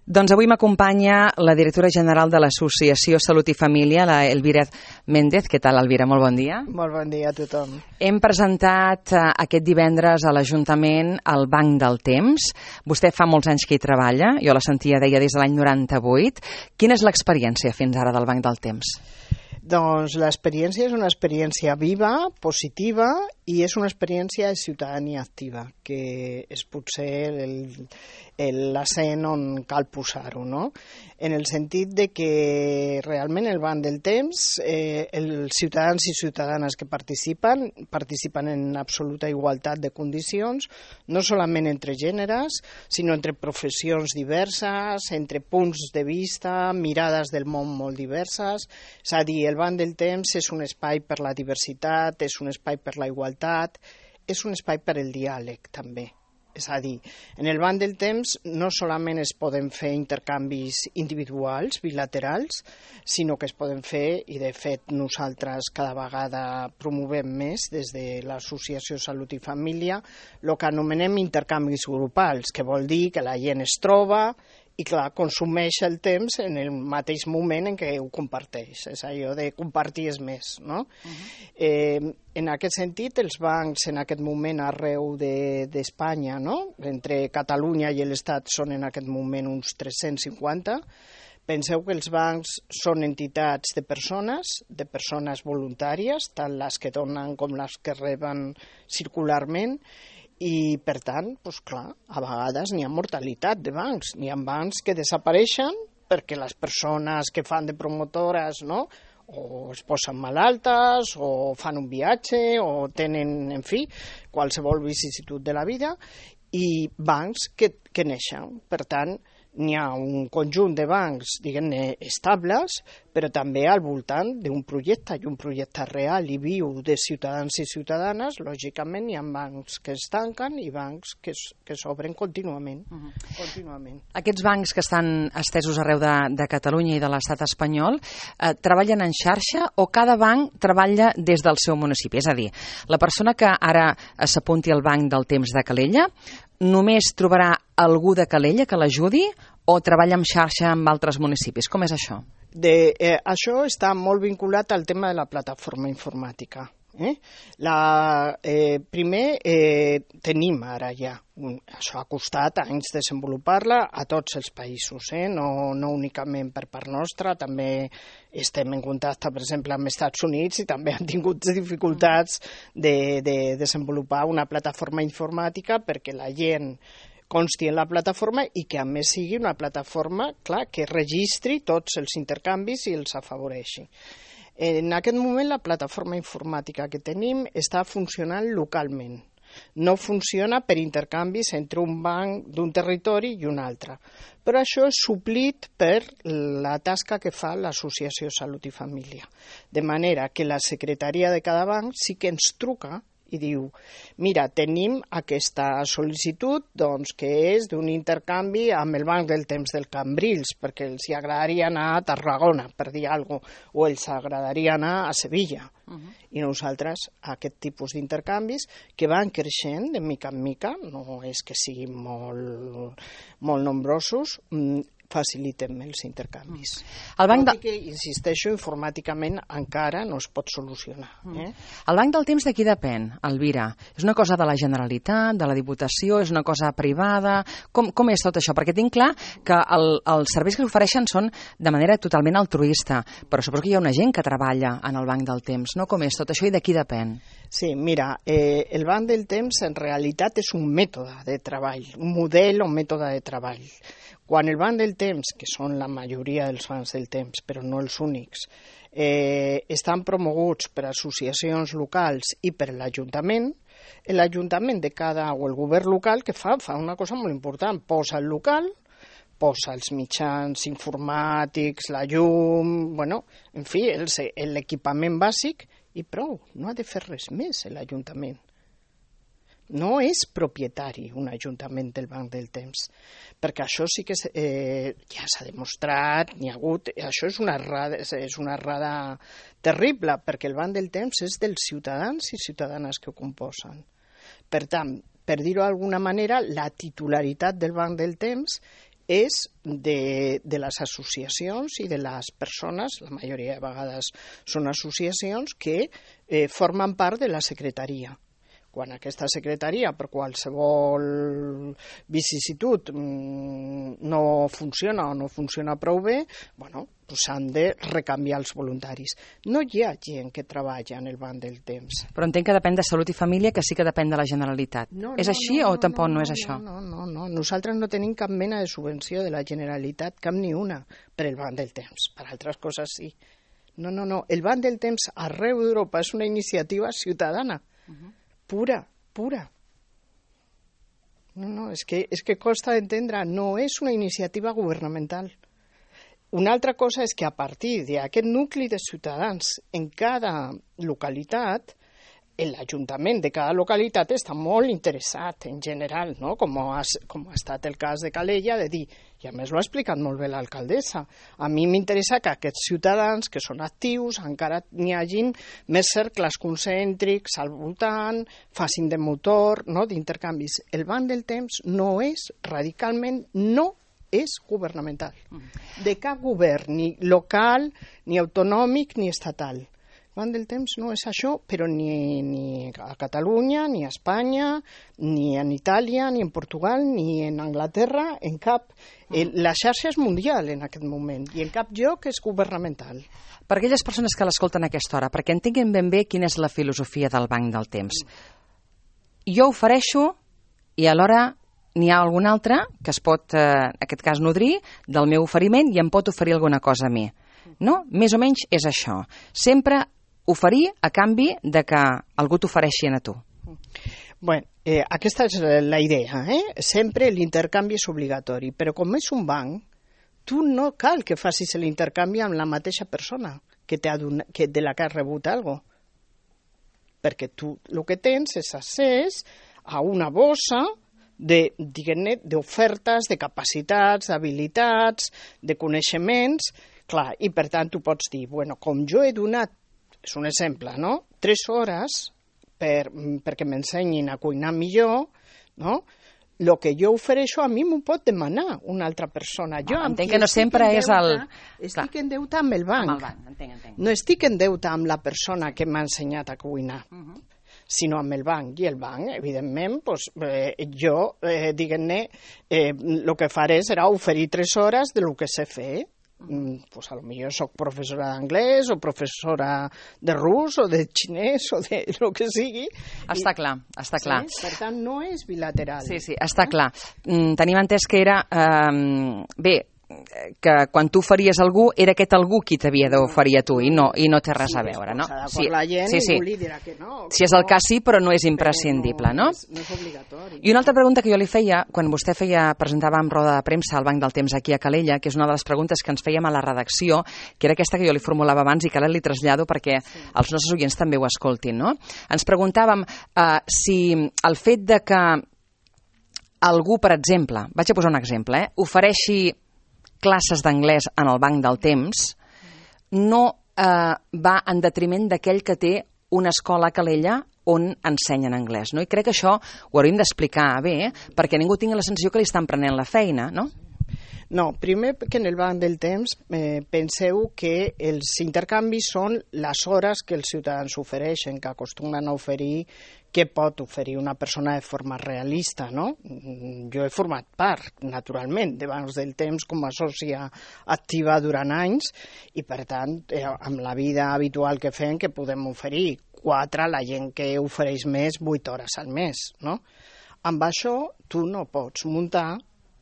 Doncs avui m'acompanya la directora general de l'Associació Salut i Família, la Elvira Méndez. Què tal, Elvira? Molt bon dia. Molt bon dia a tothom. Hem presentat aquest divendres a l'Ajuntament el Banc del Temps. Vostè fa molts anys que hi treballa, jo la sentia, deia, des de l'any 98. Quina és l'experiència fins ara del Banc del Temps? Doncs l'experiència és una experiència viva, positiva, i és una experiència de ciutadania activa, que és potser l'accent on cal posar-ho, no? En el sentit de que realment el Banc del Temps, els ciutadans i ciutadanes que participen en absoluta igualtat de condicions, no solament entre gèneres, sinó entre professions diverses, entre punts de vista, mirades del món molt diverses. És a dir, el Banc del Temps és un espai per la diversitat, és un espai per la igualtat, és un espai per el diàleg també. És a dir, en el Banc del Temps no solament es poden fer intercanvis individuals, bilaterals, sinó que es poden fer, i de fet nosaltres cada vegada promovem més des de l'Associació Salut i Família, el que anomenem intercanvis grupals, que vol dir que la gent es troba i, clar, consumeix el temps en el mateix moment en què ho comparteix. És allò de compartir és més, no? En aquest sentit, els bancs en aquest moment arreu d'Espanya, no? Entre Catalunya i l'Estat són en aquest moment uns 350. Penseu que els bancs són entitats de persones voluntàries, tant les que donen com les que reben circularment, i, per tant, doncs clar, a vegades n'hi ha mortalitat de bancs. N'hi ha bancs que desapareixen perquè les persones que fan de promotores, no?, o es posen malaltes, o fan un viatge, o tenen, en fi, qualsevol vicisitud de la vida, i bancs que neixen. Per tant, n'hi ha un conjunt de bancs, diguem-ne, estables, però també al voltant d'un projecte, i un projecte real i viu de ciutadans i ciutadanes. Lògicament hi ha bancs que es tanquen i bancs que s'obren contínuament. Aquests bancs que estan estesos arreu de Catalunya i de l'estat espanyol treballen en xarxa o cada banc treballa des del seu municipi? És a dir, la persona que ara s'apunti al Banc del Temps de Calella només trobarà algú de Calella que l'ajudi o treballa en xarxa amb altres municipis? Com és això? Això està molt vinculat al tema de la plataforma informàtica. Primer, tenim ara ja, això ha costat anys desenvolupar-la a tots els països, no únicament per part nostra, també estem en contacte, per exemple, amb els Estats Units, i també han tingut dificultats de desenvolupar una plataforma informàtica perquè la gent consti en la plataforma i que a més sigui una plataforma, clar, que registri tots els intercanvis i els afavoreixi. En aquest moment la plataforma informàtica que tenim està funcionant localment. No funciona per intercanvis entre un banc d'un territori i un altre. Però això és suplit per la tasca que fa l'Associació Salut i Família. De manera que la secretaria de cada banc sí que ens truca i diu, mira, tenim aquesta sol·licitud, doncs, que és d'un intercanvi amb el Banc del Temps del Cambrils, perquè els agradaria anar a Tarragona, per dir alguna cosa, o els agradaria anar a Sevilla. I nosaltres, aquest tipus d'intercanvis, que van creixent de mica en mica, no és que siguin molt nombrosos, facilitem els intercanvis. Tot i que, insisteixo, informàticament encara no es pot solucionar. El Banc del Temps de qui depèn, Elvira? És una cosa de la Generalitat, de la Diputació, és una cosa privada? Com és tot això? Perquè tinc clar que els serveis que s'ofereixen són de manera totalment altruista, però suposo que hi ha una gent que treballa en el Banc del Temps, no? Com és tot això i de qui depèn? Sí, mira, el Banc del Temps en realitat és un mètode de treball, un model o mètode de treball. Quan el Banc del Temps, que són la majoria dels bancs del temps, però no els únics, estan promoguts per associacions locals i per l'Ajuntament de cada, o el govern local, que fa una cosa molt important, posa el local, posa els mitjans informàtics, la llum, bueno, en fi, l'equipament bàsic, i prou, no ha de fer res més l'Ajuntament. No és propietari un ajuntament del Banc del Temps, perquè això sí que ja s'ha demostrat, n'hi ha hagut, això és una errada terrible, perquè el Banc del Temps és dels ciutadans i ciutadanes que ho composen. Per tant, per dir-ho d'alguna manera, la titularitat del Banc del Temps és de les associacions i de les persones, la majoria de vegades són associacions que formen part de la secretaria. Quan aquesta secretaria, per qualsevol vicisitud, no funciona o no funciona prou bé, s'han de recanviar els voluntaris. No hi ha gent que treballa en el banc del temps. Però entenc que depèn de Salut i Família, que sí que depèn de la Generalitat. És així o tampoc no és això? No. Nosaltres no tenim cap mena de subvenció de la Generalitat, cap ni una, per el banc del temps. Per altres coses sí. No. El banc del temps arreu d'Europa és una iniciativa ciutadana. Pura. No, és que costa d'entendre, no és una iniciativa governamental. Una altra cosa és que a partir d'aquest nucli de ciutadans en cada localitat, l'Ajuntament de cada localitat està molt interessat en general, no? Com ha estat el cas de Calella, de dir, i a més l'ha explicat molt bé l'alcaldessa, a mi m'interessa que aquests ciutadans que són actius encara n'hi hagin més cercles concèntrics al voltant, facin de motor, no? D'intercanvis. El banc del temps no és radicalment, no és governamental, de cap govern, ni local, ni autonòmic, ni estatal. El banc del temps no és això, però ni a Catalunya, ni a Espanya, ni en Itàlia, ni en Portugal, ni en Anglaterra, en cap. La xarxa és mundial en aquest moment i en cap lloc és governamental. Per aquelles persones que l'escolten a aquesta hora, perquè entenguin ben bé quina és la filosofia del banc del temps. Jo ofereixo i alhora n'hi ha algun altre que es pot, en aquest cas, nodrir del meu oferiment i em pot oferir alguna cosa a mi. No? Més o menys és això. Sempre oferir a canvi de que algú t'ofereixi a tu. Bueno, aquesta és la idea. Sempre l'intercanvi és obligatori, però com és un banc, tu no cal que facis l'intercanvi amb la mateixa persona de la que has rebut alguna cosa. Perquè tu el que tens és accés a una bossa d'ofertes, de capacitats, d'habilitats, de coneixements, clar, i per tant tu pots dir, com jo he donat, és un exemple, 3 hores perquè m'ensenyin a cuinar millor, no? El que jo ofereixo a mi m'ho pot demanar una altra persona. Jo entenc que no sempre és el... Estic en deute amb el banc. Amb el banc, entenc. No estic en deute amb la persona que m'ha ensenyat a cuinar, sinó amb el banc. I el banc, evidentment, jo, diguem-ne, el que faré serà oferir 3 hores del que sé fer. A lo millor soc professora d'anglès o professora de rus o de xinès o de lo que sigui. Està clar. Per tant, no és bilateral. Sí, està clar. Tenim entès que era... que quan tu faries algú, era aquest algú qui t'havia d'oferir a tu i no té res a veure, no? Sí, la gent li dirà que no. Si és el cas sí, però no és imprescindible, no? No és obligatori. I una altra pregunta que jo li feia, quan vostè presentava en roda de premsa al Banc del Temps aquí a Calella, que és una de les preguntes que ens fèiem a la redacció, que era aquesta que jo li formulava abans i que ara li trasllado perquè els nostres oients també ho escoltin, no? Ens preguntàvem si el fet de que algú, per exemple, vaig a posar un exemple, ofereixi classes d'anglès en el banc del temps, no va en detriment d'aquell que té una escola a Calella on ensenyen anglès, no? I crec que això ho hauríem d'explicar bé, perquè ningú tingui la sensació que li estan prenent la feina, no? No, primer que en el banc del temps penseu que els intercanvis són les hores que els ciutadans ofereixen, que acostumen a oferir, què pot oferir una persona de forma realista, no? Jo he format part, naturalment, de bancs del temps com a sòcia activa durant anys i, per tant, amb la vida habitual que fem, que podem oferir 4 a la gent que ofereix més 8 hores al mes, no? Amb això tu no pots muntar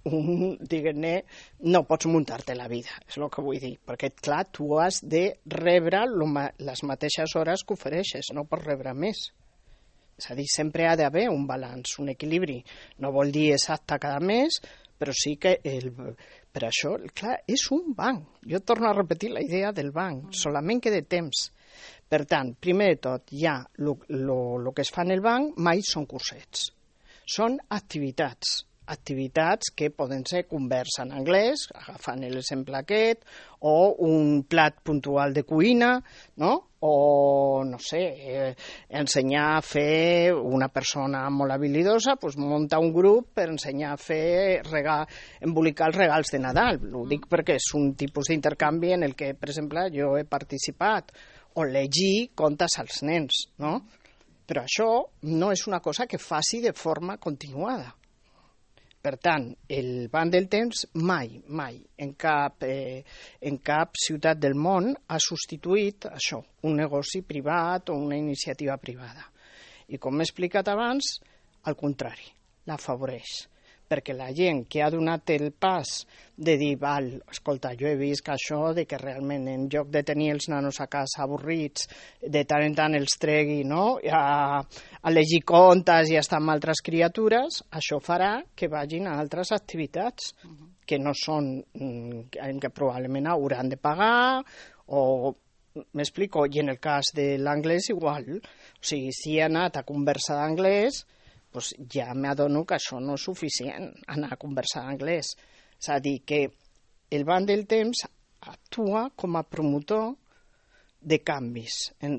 diguem-ne, no pots muntar-te la vida, és el que vull dir, perquè, clar, tu has de rebre les mateixes hores que ofereixes, no pots rebre més. És a dir, sempre ha d'haver un balanç, un equilibri. No vol dir exacte cada mes, però sí que per això, clar, és un banc. Jo torno a repetir la idea del banc, solament que de temps. Per tant, primer de tot, ja el que es fa en el banc mai són cursets. Són activitats activitats que poden ser conversa en anglès, agafant l'exemple aquest, o un plat puntual de cuina, no? O, no sé, ensenyar a fer una persona molt habilidosa, doncs munta un grup per ensenyar a fer embolicar els regals de Nadal. Ho dic perquè és un tipus d'intercanvi en el que, per exemple, jo he participat, o llegir contes als nens, no? Però això no és una cosa que faci de forma continuada. Per tant, el Banc del Temps mai en cap ciutat del món ha substituït això, un negoci privat o una iniciativa privada. I com m'he explicat abans, al contrari, l'afavoreix. Perquè la gent que ha donat el pas de dir, escolta, jo he vist que això de que realment en lloc de tenir els nanos a casa avorrits, de tant en tant els tregui, no?, a llegir contes i estar amb altres criatures, això farà que vagin a altres activitats que no són, que probablement hauran de pagar, o m'explico, i en el cas de l'anglès igual, o sigui, si he anat a conversar d'anglès, doncs ja m'adono que això no és suficient, anar a conversar d'anglès. És a dir, que el Banc del Temps actua com a promotor de canvis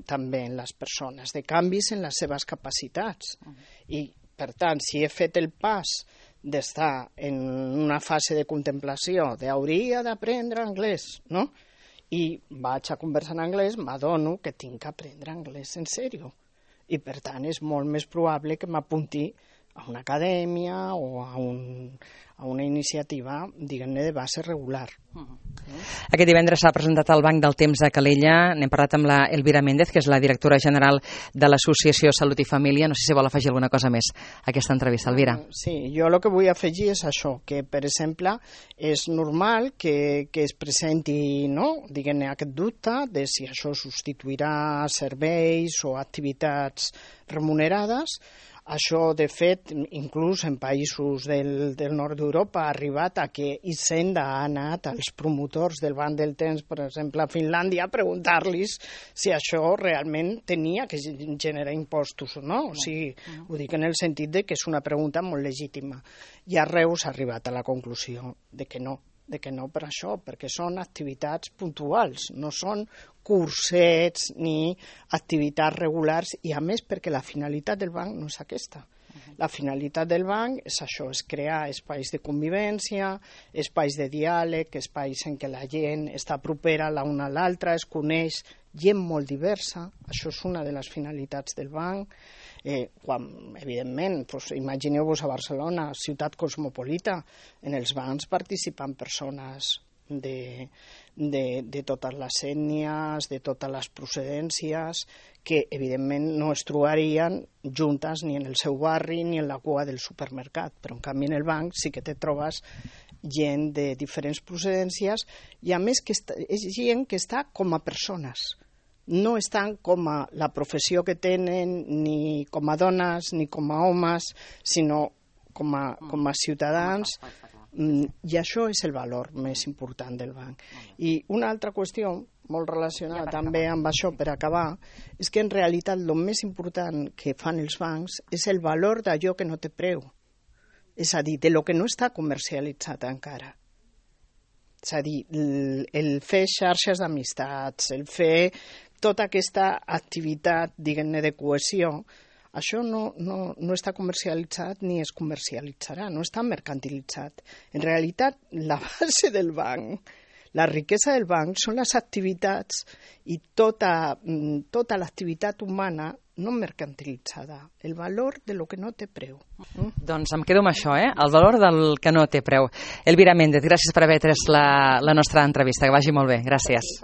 també en les persones, de canvis en les seves capacitats. I, per tant, si he fet el pas d'estar en una fase de contemplació, d'hauria d'aprendre anglès, no? I vaig a conversar en anglès, m'adono que tinc que aprendre anglès en sèrio. I, per tant, és molt més probable que m'apunti a una acadèmia o a una iniciativa, diguem-ne, de base regular. Aquest divendres s'ha presentat al Banc del Temps de Calella. N'hem parlat amb la Elvira Méndez, que és la directora general de l'Associació Salut i Família. No sé si vol afegir alguna cosa més a aquesta entrevista, Elvira. Sí, jo el que vull afegir és això, que, per exemple, és normal que es presenti, no?, diguem-ne, aquest dubte de si això substituirà serveis o activitats remunerades. Això, de fet, inclús en països del nord d'Europa ha arribat a que Hisenda ha anat als promotors del Banc del Temps, per exemple, a Finlàndia, a preguntar-los si això realment tenia que generar impostos o no. O sigui, ho dic en el sentit de que és una pregunta molt legítima. I arreu s'ha arribat a la conclusió de que no per això, perquè són activitats puntuals, no són cursets ni activitats regulars, i a més perquè la finalitat del banc no és aquesta. La finalitat del banc és això, és crear espais de convivència, espais de diàleg, espais en què la gent està propera l'una a l'altra, es coneix gent molt diversa, això és una de les finalitats del banc. Quan, evidentment, imagineu-vos a Barcelona, ciutat cosmopolita, en els bancs participen persones de totes les ètnies, de totes les procedències, que evidentment no es trobarien juntes ni en el seu barri ni en la cua del supermercat, però en canvi en el banc sí que te trobes gent de diferents procedències, i a més que és gent que està com a persones. No estan com a la professió que tenen, ni com a dones, ni com a homes, sinó com a ciutadans, i això és el valor més important del banc. I una altra qüestió, molt relacionada també amb això, per acabar, és que en realitat el més important que fan els bancs és el valor d'allò que no té preu, és a dir, de lo que no està comercialitzat encara. És a dir, el fer xarxes d'amistats, el fer tota aquesta activitat, diguem-ne, de cohesió, això no està comercialitzat ni es comercialitzarà, no està mercantilitzat. En realitat, la base del banc, la riquesa del banc són les activitats i tota l'activitat humana no mercantilitzada, el valor de lo que no té preu. Doncs em quedo amb això, el valor del que no té preu. Elvira Méndez, gràcies per haver pres la nostra entrevista, que vagi molt bé, gràcies.